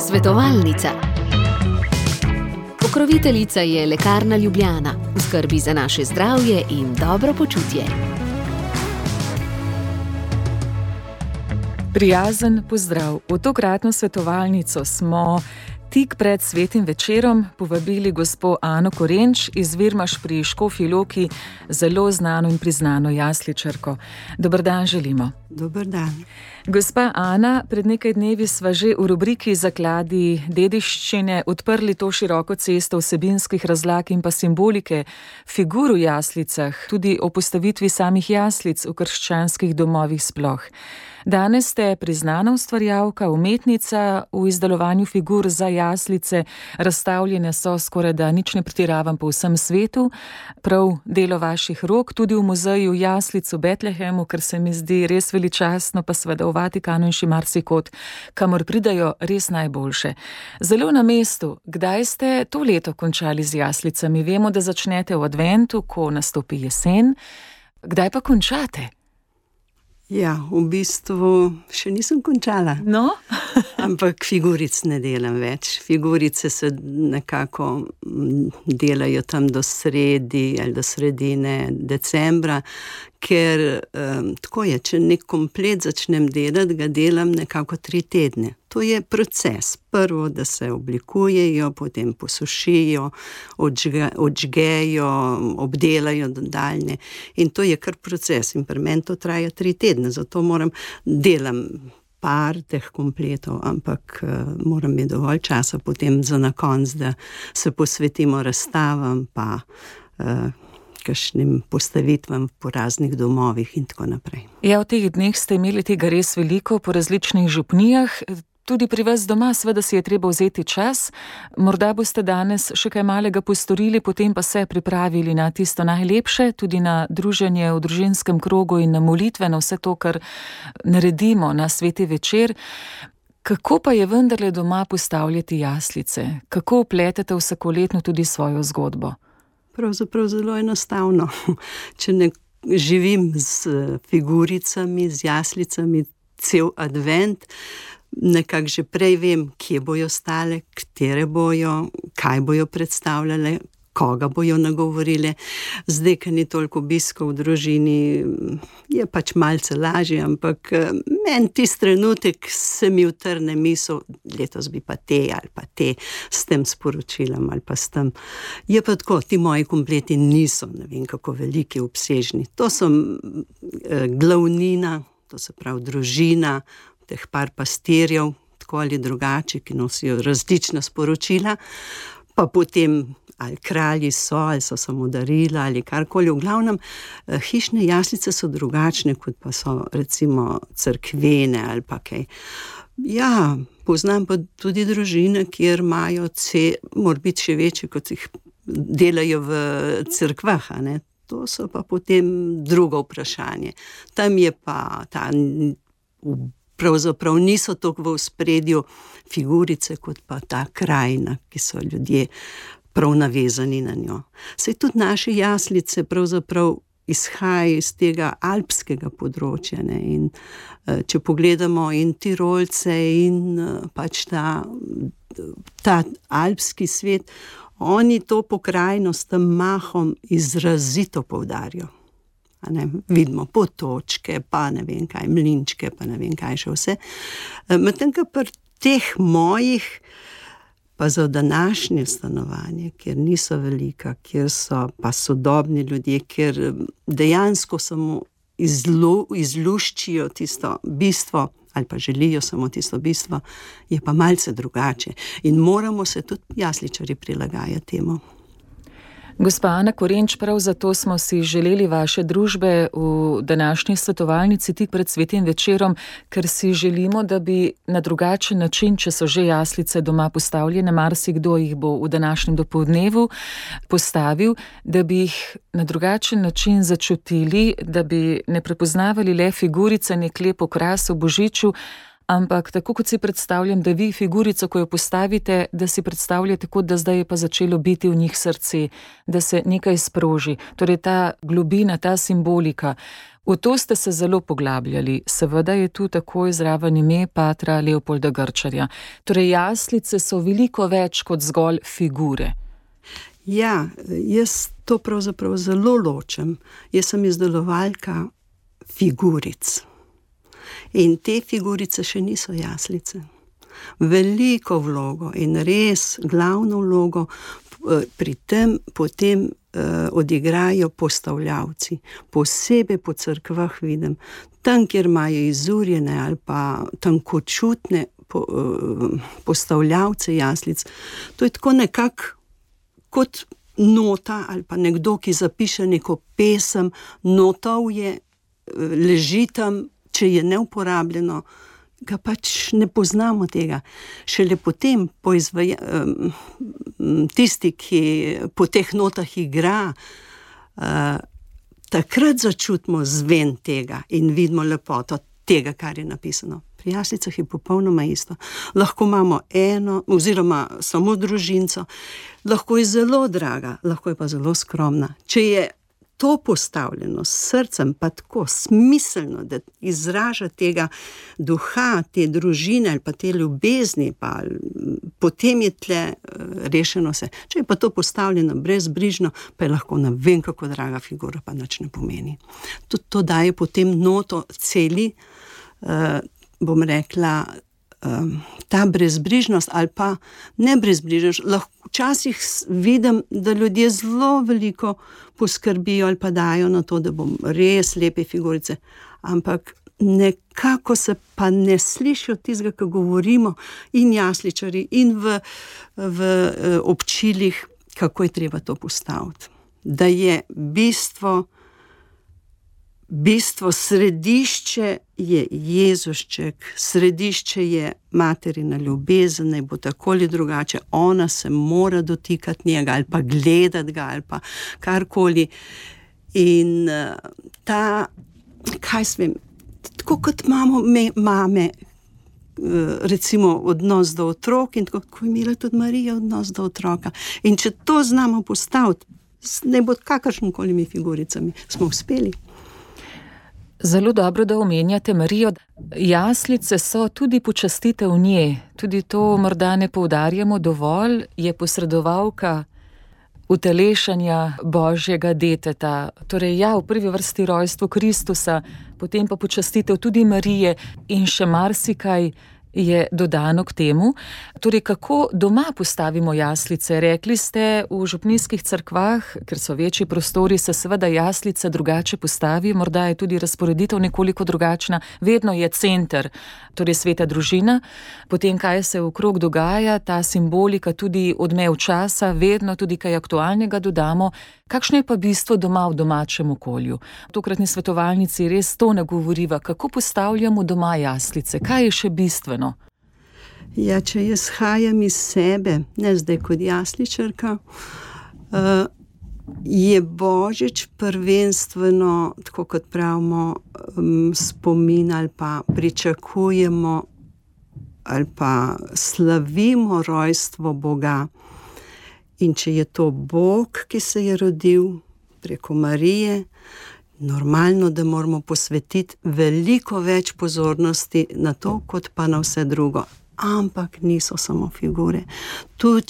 Svetovalnica. Pokroviteljica je Lekarna Ljubljana, v skrbi za naše zdravje in dobro počutje. Prijazen pozdrav. V tokratno svetovalnico smo tik pred svetim večerom povabili gospo Ano Korenč iz Virmaš pri Škofji Loki, zelo znano in priznano jasličarko. Dober dan želimo. Dober dan. Gospa Ana, pred nekaj dnevi sva že v rubriki Zakladi dediščine odprli to široko cesto vsebinskih razlag in pa simbolike figur v jaslicah, tudi o postavitvi samih jaslic v krščanskih domovih sploh. Danes ste priznana ustvarjalka, umetnica v izdelovanju figur za jaslice, razstavljene so skorajda, nič ne pretiravam, po vsem svetu, prav delo vaših rok, tudi v muzeju jaslic v Betlehemu, kar se mi zdi res veličastno, pa seveda v Vatikanu in še marsikod, kamor pridajo res najboljše. Zelo na mestu, kdaj ste to leto končali z jaslicami? Vemo, da začnete v adventu, ko nastopi jesen. Kdaj pa končate? Ja, v bistvu še nisem končala. No? Ampak figuric ne delam več. Figurice se nekako delajo tam do sredi ali do sredine decembra, ker tako je, če nek komplet začnem delati, ga delam nekako 3 tedne. To je proces. Prvo, da se oblikujejo, potem posušijo, odžgejo, obdelajo nadaljne. In to je kar proces. In pri meni to traja 3 tedne, zato delam par teh kompletov, ampak moram imeti dovolj časa potem za na konec, da se posvetimo razstavam, pa kakšnim postavitvam po raznih domovih in tako naprej. Ja, v teh dneh ste imeli tega res veliko po različnih župnijah. Tudi pri vas doma, seveda si je treba vzeti čas. Morda boste danes še kaj malega postorili, potem pa se pripravili na tisto najlepše, tudi na druženje v družinskem krogu in na molitve, na vse to, kar naredimo na sveti večer. Kako pa je vendarle doma postavljati jaslice? Kako vpletete vsakoletno tudi svojo zgodbo? Pravzaprav zelo enostavno. Če ne živim z figuricami, z jaslicami cel advent, nekako že prej vem, kje bojo stale, katere bojo, kaj bojo predstavljale, koga bojo nagovorile. Zdaj, ker ni toliko obiskov v družini, je pač malce lažje, ampak meni tisti trenutek se mi utrne misel, letos bi pa te ali pa te s tem sporočilom ali pa s tem. Je pa tako, ti moji kompleti niso, ne vem kako veliki, obsežni. To so glavnina, to se pravi družina, teh par pastirjev, tako ali drugače, ki nosijo različna sporočila, pa potem ali kralji so, ali so samo darila, ali karkoli. V glavnem, hišne jaslice so drugačne, kot pa so recimo cerkvene ali pa kaj. Ja, poznam pa tudi družine, kjer imajo mora biti še večje, kot jih delajo v cerkvah, a ne. To so pa potem drugo vprašanje. Tam je pa pravzaprav niso toliko v ospredju figurice, kot pa ta krajina, ki so ljudje prav navezani na njo. Saj tudi naše jaslice pravzaprav izhajajo iz tega alpskega področja, ne? In če pogledamo in Tirolce in pač ta alpski svet, oni to pokrajino s tem mahom izrazito poudarjajo. Vidimo potočke, pa ne vem kaj, mlinčke, pa ne vem kaj še vse. Medtem, ko pri teh mojih, pa za današnje stanovanje, kjer niso velika, kjer so pa sodobni ljudje, kjer dejansko samo izluščijo tisto bistvo, ali pa želijo samo tisto bistvo, je pa malce drugače. In moramo se tudi jasličarji prilagajati temu. Gospa Ana Korenč, prav zato smo si želeli vaše družbe v današnji svetovalnici tik pred svetim večerom, ker si želimo, da bi na drugačen način, če so že jaslice doma postavljene, marsikdo jih bo v današnjem dopoldnevu postavil, da bi jih na drugačen način začutili, da bi ne prepoznavali le figurice, nek lep okras v božiču, ampak tako kot si predstavljam, da vi figurico, ko jo postavite, da si predstavljate, kot da zdaj je pa začelo biti v njih srce, da se nekaj sproži. Torej ta globina, ta simbolika. V to ste se zelo poglabljali, seveda je tu takoj zraven ime patra Leopolda Grčarja. Torej jaslice so veliko več kot zgolj figure. Ja, jaz to pravzaprav zelo ločem. Jaz sem izdelovalka figuric. In te figurice še niso jaslice. Veliko vlogo in res glavno vlogo pri tem potem odigrajo postavljavci. Posebej po cerkvah vidim, tam, kjer imajo izurjene ali pa tankočutne postavljavce jaslic. To je tako nekako kot nota ali pa nekdo, ki zapiše neko pesem, notov je, leži tam, če je neuporabljeno, ga pač ne poznamo tega. Šele potem tisti, ki po teh notah igra, takrat začutimo zven tega in vidimo lepoto tega, kar je napisano. Pri jaslicah je popolnoma isto. Lahko imamo eno oziroma samo družinco, lahko je zelo draga, lahko je pa zelo skromna. Če je to postavljeno s srcem, pa tako smiselno, da izraža tega duha, te družine ali pa te ljubezni, pa potem je tle rešeno vse. Če je pa to postavljeno brezbrižno, pa je lahko ne vem kako draga figura, pa nič ne pomeni. Tudi to daje potem noto celi, bom rekla, ta brezbrižnost ali pa ne brezbrižnost. Včasih vidim, da ljudje zelo veliko poskrbijo ali pa dajo na to, da bom res lepe figurice, ampak nekako se pa ne slišijo tistega, ko govorimo in jasličari in v občilih, kako je treba to postaviti. Da je bistvo, središče je Jezušček, središče je materina ljubezen, naj bo tako ali drugače, ona se mora dotikati njega ali pa gledati ga ali pa karkoli. In kaj svem, tako kot imamo mame, recimo odnos do otrok in tako, ko je imela tudi Marija odnos do otroka. In če to znamo postaviti, ne bo kakršnokoli figuricami, smo uspeli. Zelo dobro, da omenjate Marijo. Jaslice so tudi počastitev nje. Tudi to morda ne poudarjamo dovolj, je posredovalka utelešanja Božjega deteta. Torej ja, v prvi vrsti rojstvo Kristusa, potem pa počastitev tudi Marije in še marsikaj je dodano k temu. Torej, kako doma postavimo jaslice? Rekli ste, v župnijskih cerkvah, ker so večji prostori, se seveda jaslice drugače postavi, morda je tudi razporeditev nekoliko drugačna, vedno je center, torej sveta družina, potem kaj se okrog dogaja, ta simbolika, tudi odmev časa, vedno tudi kaj aktualnega dodamo. Kakšno je pa bistvo doma v domačem okolju? V tokratni svetovalnici res to ne govoriva, kako postavljamo doma jaslice, kaj je še bistveno? Ja, če jaz hajam iz sebe, ne zdaj kot jasličarka, je Božič prvenstveno, tako kot pravimo, spomin ali pa pričakujemo ali pa slavimo rojstvo Boga. In če je to Bog, ki se je rodil preko Marije, normalno, da moramo posvetiti veliko več pozornosti na to, kot pa na vse drugo. Ampak niso samo figure. Tu,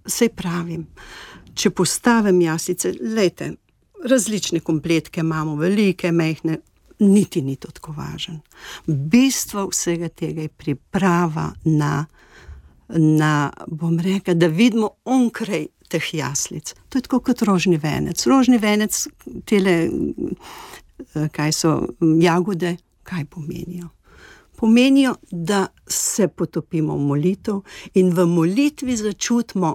saj pravim, če postavim jaslice, lejte, različne kompletke imamo, velike, majhne, niti ni to tako važen. Bistvo vsega tega je priprava na, bom rekla, da vidimo onkraj teh jaslic. To je tako kot rožni venec. Rožni venec, tele, kaj so jagode, kaj pomenijo? Pomenijo, da se potopimo v molitev in v molitvi začutimo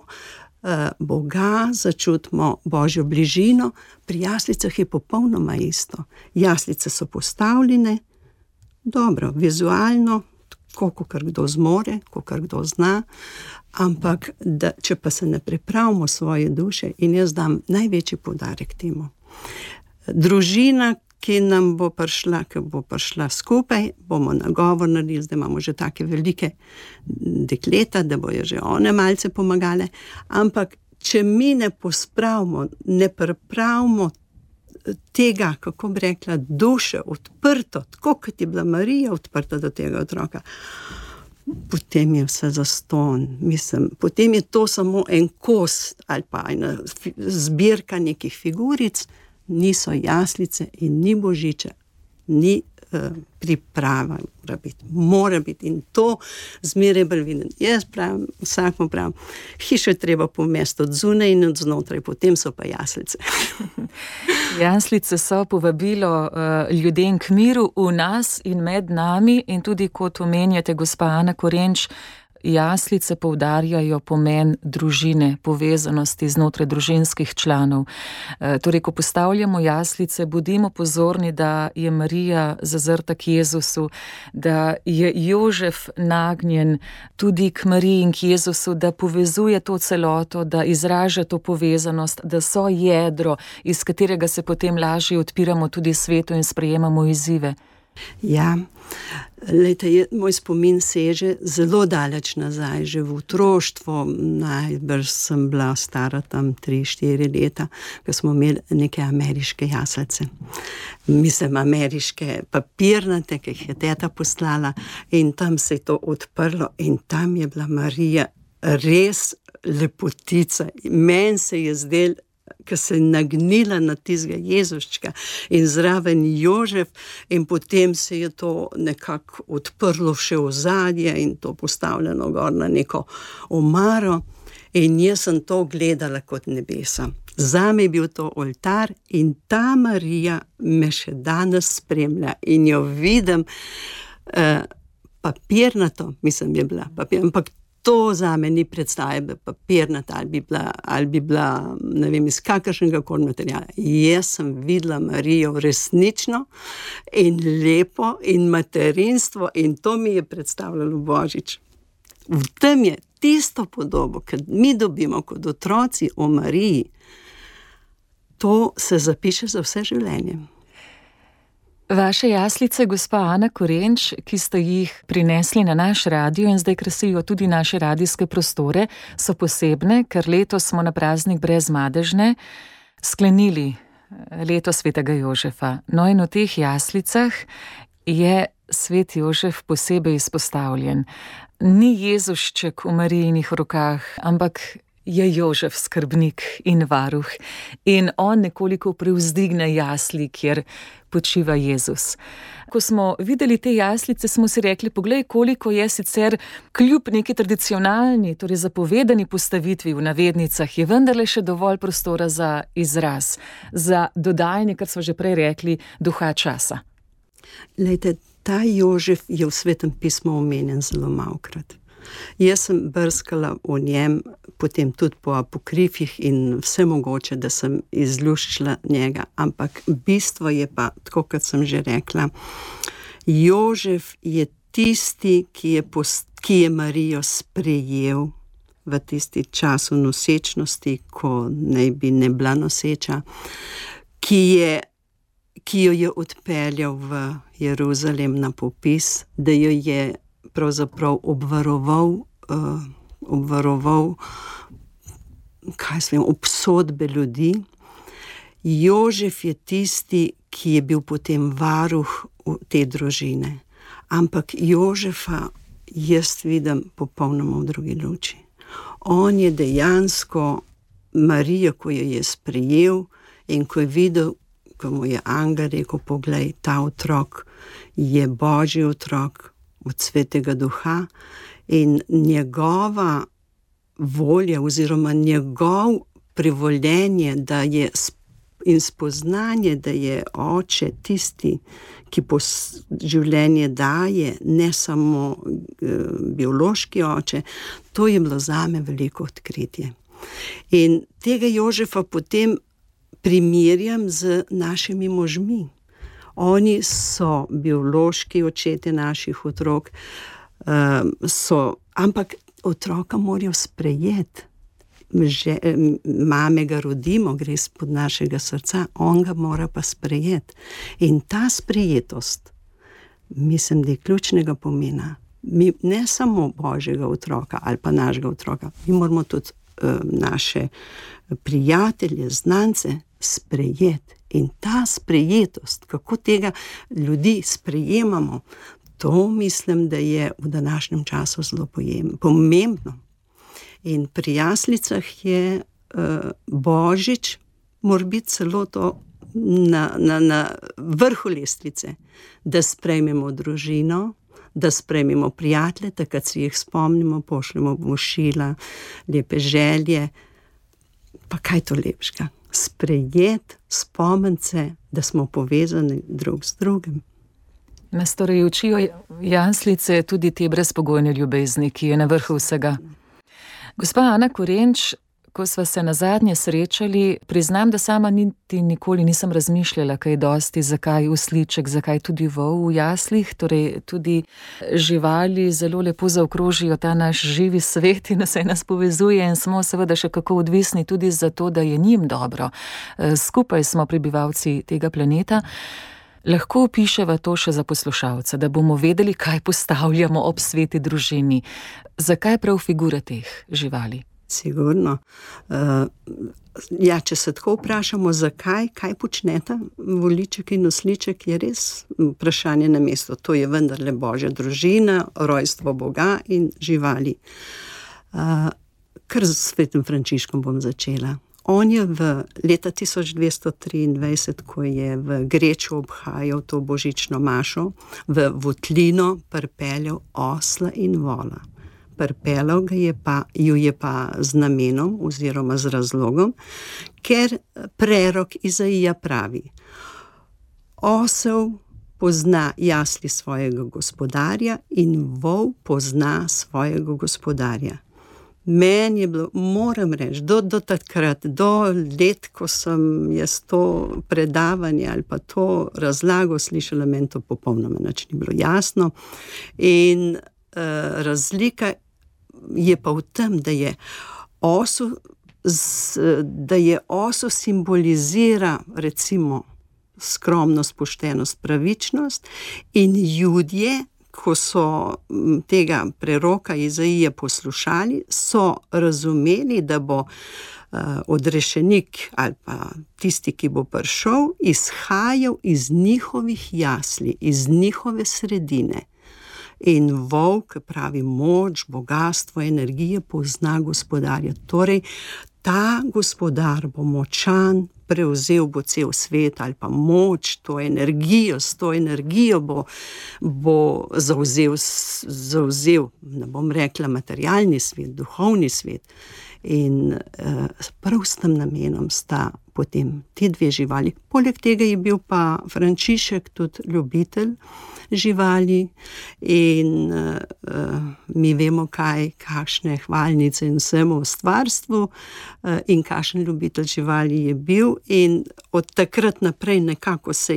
Boga, začutimo Božjo bližino. Pri jaslicah je popolnoma isto. Jaslice so postavljene, dobro, vizualno, tako, kakor kdo zmore, kakor kdo zna, ampak če pa se ne pripravimo svoje duše, in jaz dam največji poudarek temu. Družina, ki nam bo prišla skupaj, bomo nagovor naredili, zdaj imamo že take velike dekleta, da bojo že one malce pomagale, ampak če mi ne pospravimo, ne pripravimo tega, kako bi rekla, duše odprto, tako kot je bila Marija odprta do tega otroka, potem je vse zastonj. Mislim, potem je to samo en kos ali pa ena zbirka nekih figuric, niso jaslice in ni božiča, ni priprava, mora biti in to zmeraj bolj vidim. Jaz pravim, vsakmu pravim, hišo je treba pomesti od zunaj in od znotraj, potem so pa jaslice. Jaslice so povabilo ljudem k miru v nas in med nami in tudi, kot omenjate, gospa Ana Korenč, jaslice poudarjajo pomen družine, povezanosti znotraj družinskih članov. Torej, ko postavljamo jaslice, bodimo pozorni, da je Marija zazrta k Jezusu, da je Jožef nagnjen tudi k Mariji in k Jezusu, da povezuje to celoto, da izraža to povezanost, da so jedro, iz katerega se potem lažje odpiramo tudi svetu in sprejemamo izzive. Ja, lejte, moj spomin seže zelo daleč nazaj, že v otroštvu, najbrž sem bila stara tam 3-4 leta, ko smo imeli neke ameriške jaslice. Mislim, ameriške papirnate, ki jih je teta poslala in tam se je to odprlo in tam je bila Marija res lepotica. Meni se je zdel, ko se je nagnila na tistega Jezuščka in zraven Jožef in potem se je to nekako odprlo še v zadje in to postavljeno gor na neko omaro in jaz sem to gledala kot nebesa. Zame je bil to oltar in ta Marija me še danes spremlja in jo vidim papirnato, mislim, je bila ampak to zame ni predstave papirnata ali bi bila, ne vem, iz kakršnega koli materiala. Jaz sem videla Marijo resnično in lepo in materinstvo in to mi je predstavljalo Božič. V tem je tisto podobo, ki mi dobimo kot otroci o Mariji, to se zapiše za vse življenje. Vaše jaslice, gospa Ana Korenč, ki ste jih prinesli na naš radio in zdaj krasijo tudi naše radijske prostore, so posebne, ker letos smo na praznik Brezmadežne sklenili leto svetega Jožefa. No in v teh jaslicah je svet Jožef posebej izpostavljen. Ni Jezušček v Marijinih rokah, ampak je Jožef skrbnik in varuh in on nekoliko privzdigne jasli, kjer počiva Jezus. Ko smo videli te jaslice, smo si rekli, poglej, koliko je sicer kljub neki tradicionalni, torej zapovedani postavitvi v navednicah, je vendarle še dovolj prostora za izraz, za dodajanje, kar smo že prej rekli, duha časa. Lejte, ta Jožef je v Svetem pismu omenjen zelo malokrat. Jaz sem brskala o njem, potem tudi po apokrifih in vse mogoče, da sem izluščila njega, ampak bistvo je pa, tako kot sem že rekla, Jožef je tisti, ki je Marijo sprejel v tisti času nosečnosti, ko naj bi ne bila noseča, ki jo je odpeljal v Jeruzalem na popis, da jo je pravzaprav obvaroval obsodbe ljudi. Jožef je tisti, ki je bil potem varuh te družine. Ampak Jožefa jaz vidim popolnoma v drugi luči. On je dejansko Marijo, ko jo je sprejel in ko je videl, ko mu je angel rekel, poglej, ta otrok je Božji otrok, od Svetega Duha in njegova volja oziroma njegov privoljenje, da je in spoznanje, da je oče tisti, ki življenje daje, ne samo biološki oče, to je bilo zame veliko odkritje. In tega Jožefa potem primerjam z našimi možmi. Oni so biološki očetje naših otrok, ampak otroka morajo sprejeti. Mame ga rodimo, gre spod našega srca, on ga mora pa sprejeti. In ta sprejetost, mislim, da je ključnega pomena. Mi ne samo Božjega otroka ali pa našega otroka, mi moramo tudi naše prijatelje, znance sprejeti In ta sprejetost, kako tega ljudi sprejemamo, to mislim, da je v današnjem času zelo pomembno. In pri jaslicah je Božič, mora biti celo to na vrhu lestvice, da sprejmemo družino, da sprejmemo prijatelje, takrat si jih spomnimo, pošljemo vošila, lepe želje. Pa kaj to lepšega? Sprejet, spomniti se, da smo povezani drug z drugim. Nas torej učijo jaslice tudi te brezpogojne ljubezni, ki je na vrhu vsega. Gospa Ana Korenč, ko sva se nazadnje srečali, priznam, da sama niti nikoli nisem razmišljala kaj dosti, zakaj osliček, zakaj tudi vol v jaslih, torej tudi živali zelo lepo zaokrožijo ta naš živi svet in nas povezuje in smo seveda še kako odvisni tudi za to, da je njim dobro. Skupaj smo prebivalci tega planeta. Lahko opiševa to še za poslušalca, da bomo vedeli, kaj postavljamo ob sveti družini. Zakaj prav figure teh živali? Sigurno. Če se tako vprašamo, zakaj, kaj počneta voliček in osliček, je res vprašanje na mesto. To je vendarle Božja družina, rojstvo Boga in živali. Kar s svetim Frančiškom bom začela. On je v leta 1223, ko je v Greču obhajal to božično mašo, v votlino pripeljal osla in vola. Pripeljal ju je pa z namenom oziroma z razlogom, ker prerok Izaija pravi: osel pozna jasli svojega gospodarja in vol pozna svojega gospodarja. Meni je bilo, moram reči, do takrat, do let, ko sem jaz to predavanje ali pa to razlago slišala, meni to popolnoma nič ni bilo jasno. In razlika je pa v tem, da je osel simbolizira recimo skromnost, poštenost, pravičnost, in Judje, ko so tega preroka Izaija poslušali, so razumeli, da bo odrešenik ali pa tisti, ki bo prišel, izhajal iz njihovih jasli, iz njihove sredine. In volk, pravi, moč, bogastvo, energije pozna gospodarja. Torej, ta gospodar bo močan, prevzel bo cel svet ali pa moč, to energijo, s to energijo bo zavzel, ne bom rekla materialni svet, duhovni svet. In prav s tem namenom sta potem ti dve živali. Poleg tega je bil pa Frančišek tudi ljubitelj živali in mi vemo, kakšne hvalnice in vsemu v stvarstvu in kakšen ljubitelj živali je bil, in od takrat naprej nekako so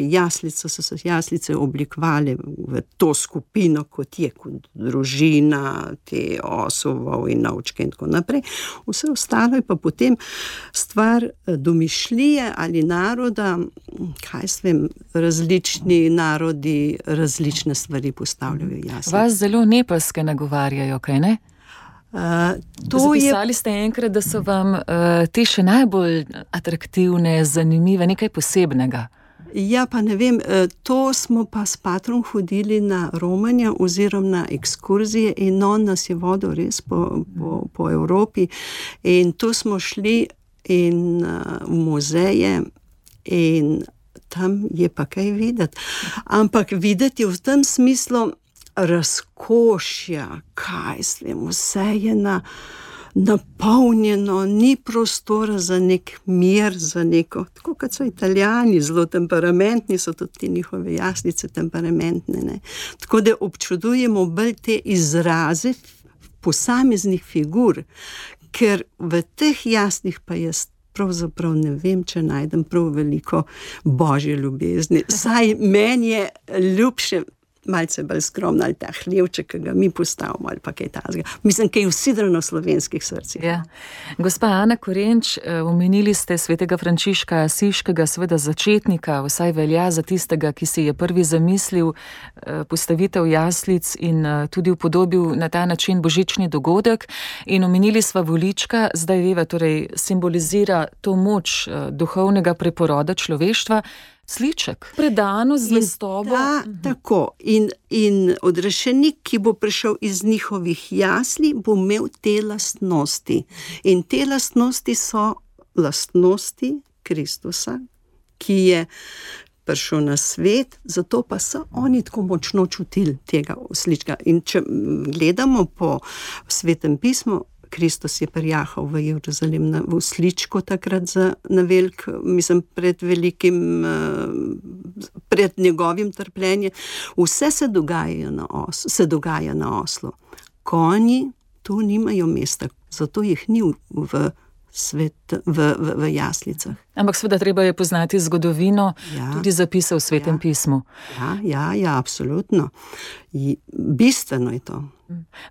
se jaslice oblikovale v to skupino, kot je, kot družina, te osov in ovčke in tako naprej. Vse ostalo je pa potem stvar domišljije ali naroda, kaj s vem, različni narodi različne stvari postavljajo jaslice. Vas zelo nepaske nagovarjajo, kaj ne? Zapisali ste enkrat, da so vam te še najbolj atraktivne, zanimive, nekaj posebnega. Ja, pa ne vem, to smo pa s patrom hodili na romanja oziroma na ekskurzije in on nas je vodil res po Evropi in tu smo šli in v muzeje in tam je pa kaj videti. Ampak videti v tem smislu razkošja, kaj svem, vse je napolnjeno, ni prostora za nek mir, za neko, tako kot so Italijani, zelo temperamentni, so tudi ti njihove jaslice temperamentne, ne. Tako da občudujemo bolj te izraze posameznih figur, ker v teh jaslih pa jaz pravzaprav ne vem, če najdem prav veliko Božje ljubezni. Saj meni je ljubše, malce bolj skromna, ali ta hlevček, ki ga mi postavimo, ali pa kaj takega. Mislim, kaj usidrano v slovenskih srcih. Ja. Gospa Ana Korenč, omenili ste svetega Frančiška Asiškega, seveda začetnika, vsaj velja za tistega, ki si je prvi zamislil postavitev jaslic in tudi upodobil na ta način božični dogodek. In omenili sva volička, zdaj veva, torej simbolizira to moč duhovnega preporoda človeštva. Sliček, predano zvestobo. Tako. In odrešenik, ki bo prišel iz njihovih jasli, bo imel te lastnosti. In te lastnosti so lastnosti Kristusa, ki je prišel na svet, zato pa so oni tako močno čutili tega slička. In če gledamo po Svetem pismu, Kristus je prijahal v Jeruzalem v sličku takrat pred njegovim trpljenjem. Vse se dogaja na oslu. Konji tu nimajo mesta, zato jih ni v jaslicah. Ampak seveda treba je poznati zgodovino, tudi zapise v Svetem pismu. Ja, absolutno. Bistveno je to.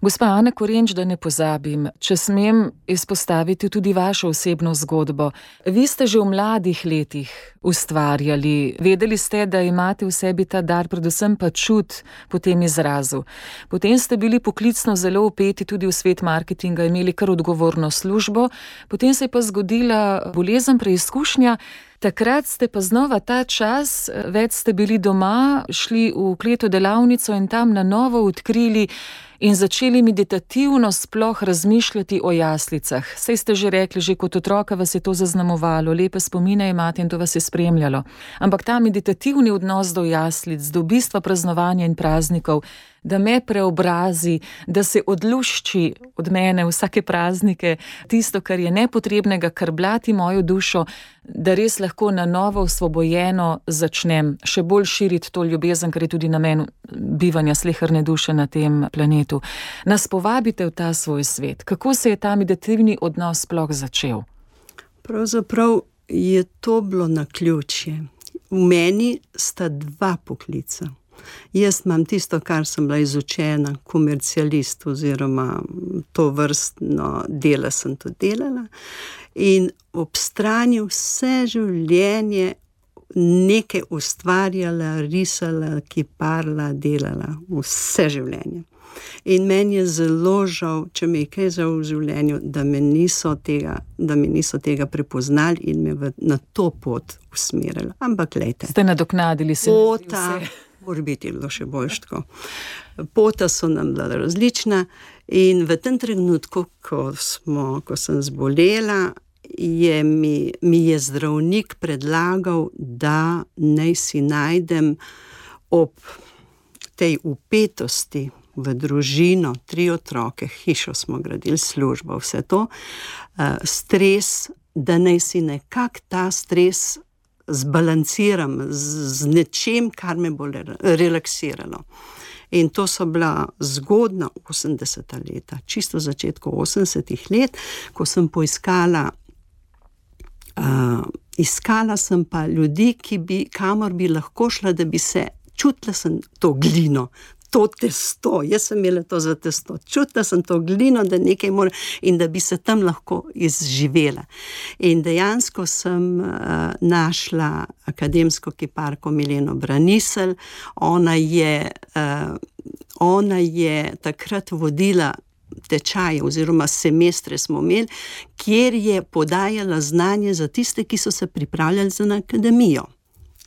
Gospa Ana Korenč, da ne pozabim, če smem izpostaviti tudi vašo osebno zgodbo. Vi ste že v mladih letih ustvarjali, vedeli ste, da imate v sebi ta dar, predvsem pa čut po tem izrazu. Potem ste bili poklicno zelo vpeti tudi v svet marketinga, imeli kar odgovorno službo, potem se je pa zgodila bolezen, preizkušnja. Takrat ste pa znova ta čas, več ste bili doma, šli v kleto delavnico in tam na novo odkrili in začeli meditativno sploh razmišljati o jaslicah. Saj ste že rekli, že kot otroka vas je to zaznamovalo, lepe spomine imate in to vas je spremljalo. Ampak ta meditativni odnos do jaslic, do bistva praznovanja in praznikov, da me preobrazi, da se odlušči od mene vsake praznike, tisto, kar je nepotrebnega, kar blati mojo dušo, da res lahko na novo osvobojeno začnem še bolj širiti to ljubezen, kar je tudi namen bivanja sleherne duše na tem planetu. Nas povabite v ta svoj svet. Kako se je ta meditativni odnos sploh začel? Pravzaprav je to bilo naključje. V meni sta dva poklica. Jaz imam tisto, kar sem bila izučena, komercialist oziroma to vrstno delo sem to delala in ob strani vse življenje nekaj ustvarjala, risala, kiparila, delala, vse življenje. In meni je zelo žal, če me je kaj žal v življenju, da me niso tega prepoznali in me na to pot usmerili. Ampak glejte. Ste nadoknadili se vse. Mora biti bilo še bolj tako. Pota so nam bila različna in v tem trenutku, ko sem zbolela, mi je zdravnik predlagal, da naj si najdem ob tej vpetosti v družino, 3 otroke, hišo smo gradili, službo, vse to, stres, da naj si nekako ta stres zbalanciram z nečem, kar me bo relaksiralo. In to so bila zgodna 80. leta, čisto v začetku 80. let, ko sem poiskala, iskala sem pa ljudi, kamor bi lahko šla, da bi se čutila sem to glino, to testo, jaz sem imela to za testo, čutila sem to glino, da nekaj mora in da bi se tam lahko izživela. In dejansko sem našla akademsko kiparko Mileno Braniselj, ona je takrat vodila tečaje oziroma semestre smo imeli, kjer je podajala znanje za tiste, ki so se pripravljali za akademijo.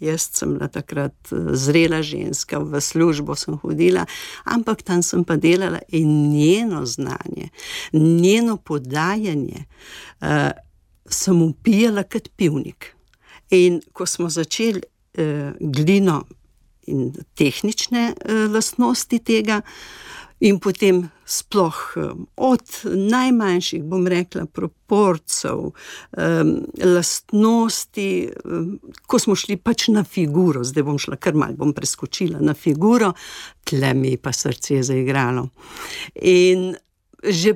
Jaz sem bila takrat zrela ženska, v službo sem hodila, ampak tam sem pa delala in njeno znanje, njeno podajanje sem upijala kot pivnik. In ko smo začeli glino in tehnične lastnosti tega, in potem sploh od najmanjših, bom rekla, proporcev, lastnosti, ko smo šli pač na figuro, zdaj bom šla kar malo, bom preskočila na figuro, tle mi pa srce je zaigralo. In že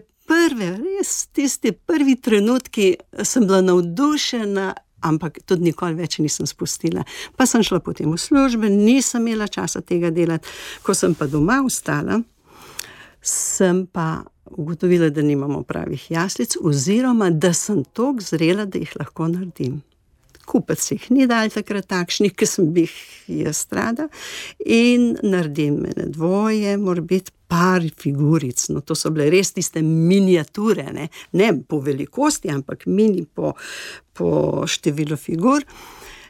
tisti prvi trenutki sem bila navdušena ampak tudi nikoli več nisem spustila. Pa sem šla potem v službe, nisem imela časa tega delati. Ko sem pa doma ostala, sem pa ugotovila, da nimamo pravih jaslic, oziroma da sem toliko zrela, da jih lahko naredim. Kupec jih ni dal takrat takšnih, ki sem bi jih jaz rada, in naredim ene dvoje, mora biti par figuric, no to so bile res tiste miniature, ne po velikosti, ampak mini po številu figur.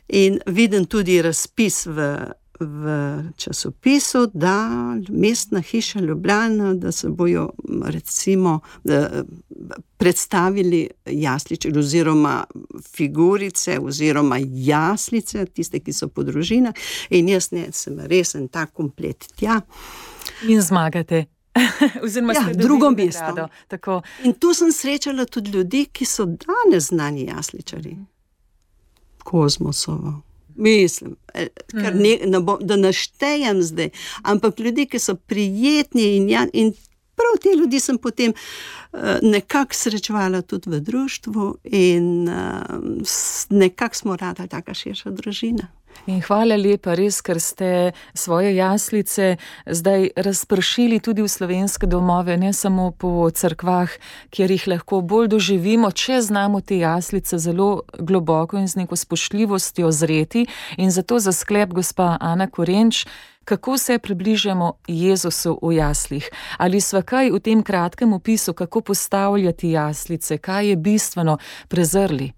In vidim tudi razpis v časopisu, da Mestna hiša Ljubljana, da se bojo recimo predstavili jasliče oziroma figurice oziroma jaslice, tiste, ki so po družinah, in jaz sem res en tak komplet tja. In zmagate. Oziroma drugo mesto. In tu sem srečala tudi ljudi, ki so danes znani jasličari. Kozmosovo. Mislim, da naštejem zdaj, ampak ljudi, ki so prijetni in prav te ljudi sem potem nekako srečevala tudi v društvu in nekako smo radili taka širša družina. In hvala lepa, res, ker ste svoje jaslice zdaj razpršili tudi v slovenske domove, ne samo po cerkvah, kjer jih lahko bolj doživimo, če znamo te jaslice zelo globoko in z neko spoštljivostjo zreti. In zato za sklep, gospa Ana Korenč, kako se približamo Jezusu v jaslih? Ali sva kaj v tem kratkem opisu, kako postavljati jaslice, kaj je bistveno, prezrli?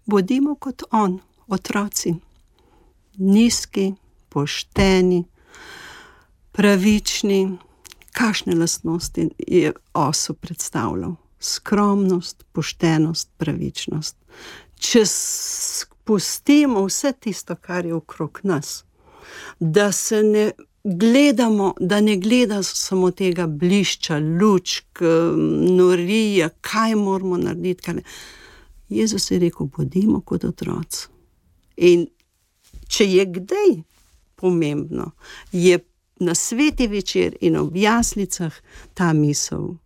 Bodimo kot on, otroci. Nizki, pošteni, pravični. Kakšne lastnosti je osu predstavljal? Skromnost, poštenost, pravičnost. Če spustimo vse tisto, kar je okrog nas, da se ne gledamo, da ne gleda samo tega blišča, lučk, norija, kaj moramo narediti. Kaj ne. Jezus je rekel, bodimo kot otroci. In če je kdaj pomembno, je na sveti večer in ob jaslicah ta misel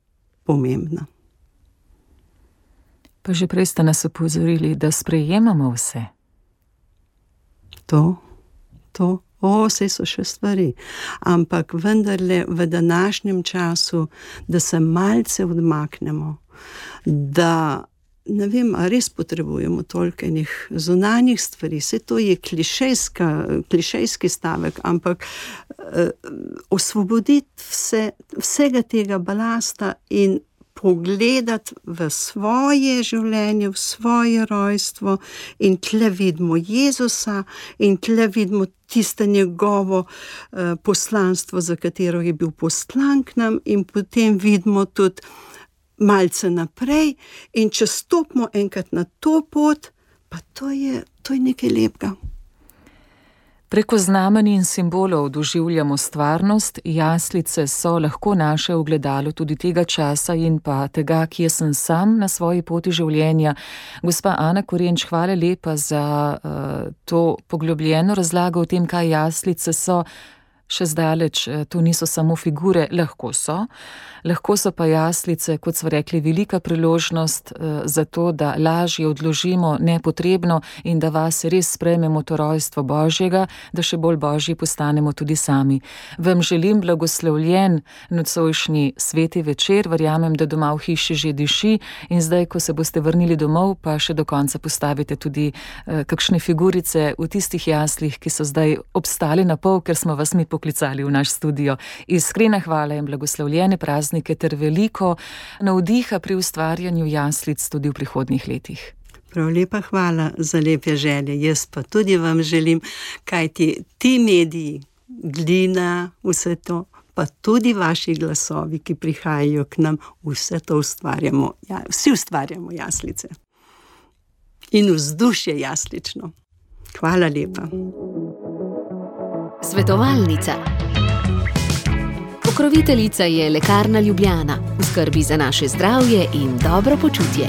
pomembna. Pa že prej ste nas opozorili, da sprejemamo vse. Saj so še stvari. Ampak vendarle v današnjem času, da se malce odmaknemo, da ne vem, a res potrebujemo toliko enih zunanjih stvari, se to je klišejski stavek, ampak osvoboditi vsega tega balasta in pogledati v svoje življenje, v svoje rojstvo, in tle vidimo Jezusa in tle vidimo tiste njegovo poslanstvo, za katero je bil poslan k nam, in potem vidimo tudi malce naprej, in če stopimo enkrat na to pot, pa to je nekaj lepega. Preko znamenj in simbolov doživljamo stvarnost, jaslice so lahko naše ogledalo tudi tega časa in pa tega, kje sem sam na svoji poti življenja. Gospa Ana Korenč, hvala lepa za to poglobljeno razlago o tem, kaj jaslice so. Še zdaleč, to niso samo figure, lahko so pa jaslice, kot smo rekli, velika priložnost za to, da lažje odložimo nepotrebno in da vas res sprejmemo to rojstvo Božjega, da še bolj Božji postanemo tudi sami. Vam želim blagoslovljen nocojšnji sveti večer, verjamem, da doma v hiši že diši, in zdaj, ko se boste vrnili domov, pa še do konca postavite tudi kakšne figurice v tistih jaslih, ki so zdaj obstali na pol, ker smo vas mi poklicali v naš studio. Iskrena hvala in blagoslovljene praznike ter veliko navdiha pri ustvarjanju jaslic tudi v prihodnjih letih. Prav lepa hvala za lepe želje. Jaz pa tudi vam želim, kajti ti mediji, Glina, vse to, pa tudi vaši glasovi, ki prihajajo k nam, vse to ustvarjamo, vsi ustvarjamo jaslice. In vzdušje jaslično. Hvala lepa. Svetovalnica. Pokroviteljica je Lekarna Ljubljana, v skrbi za naše zdravje in dobro počutje.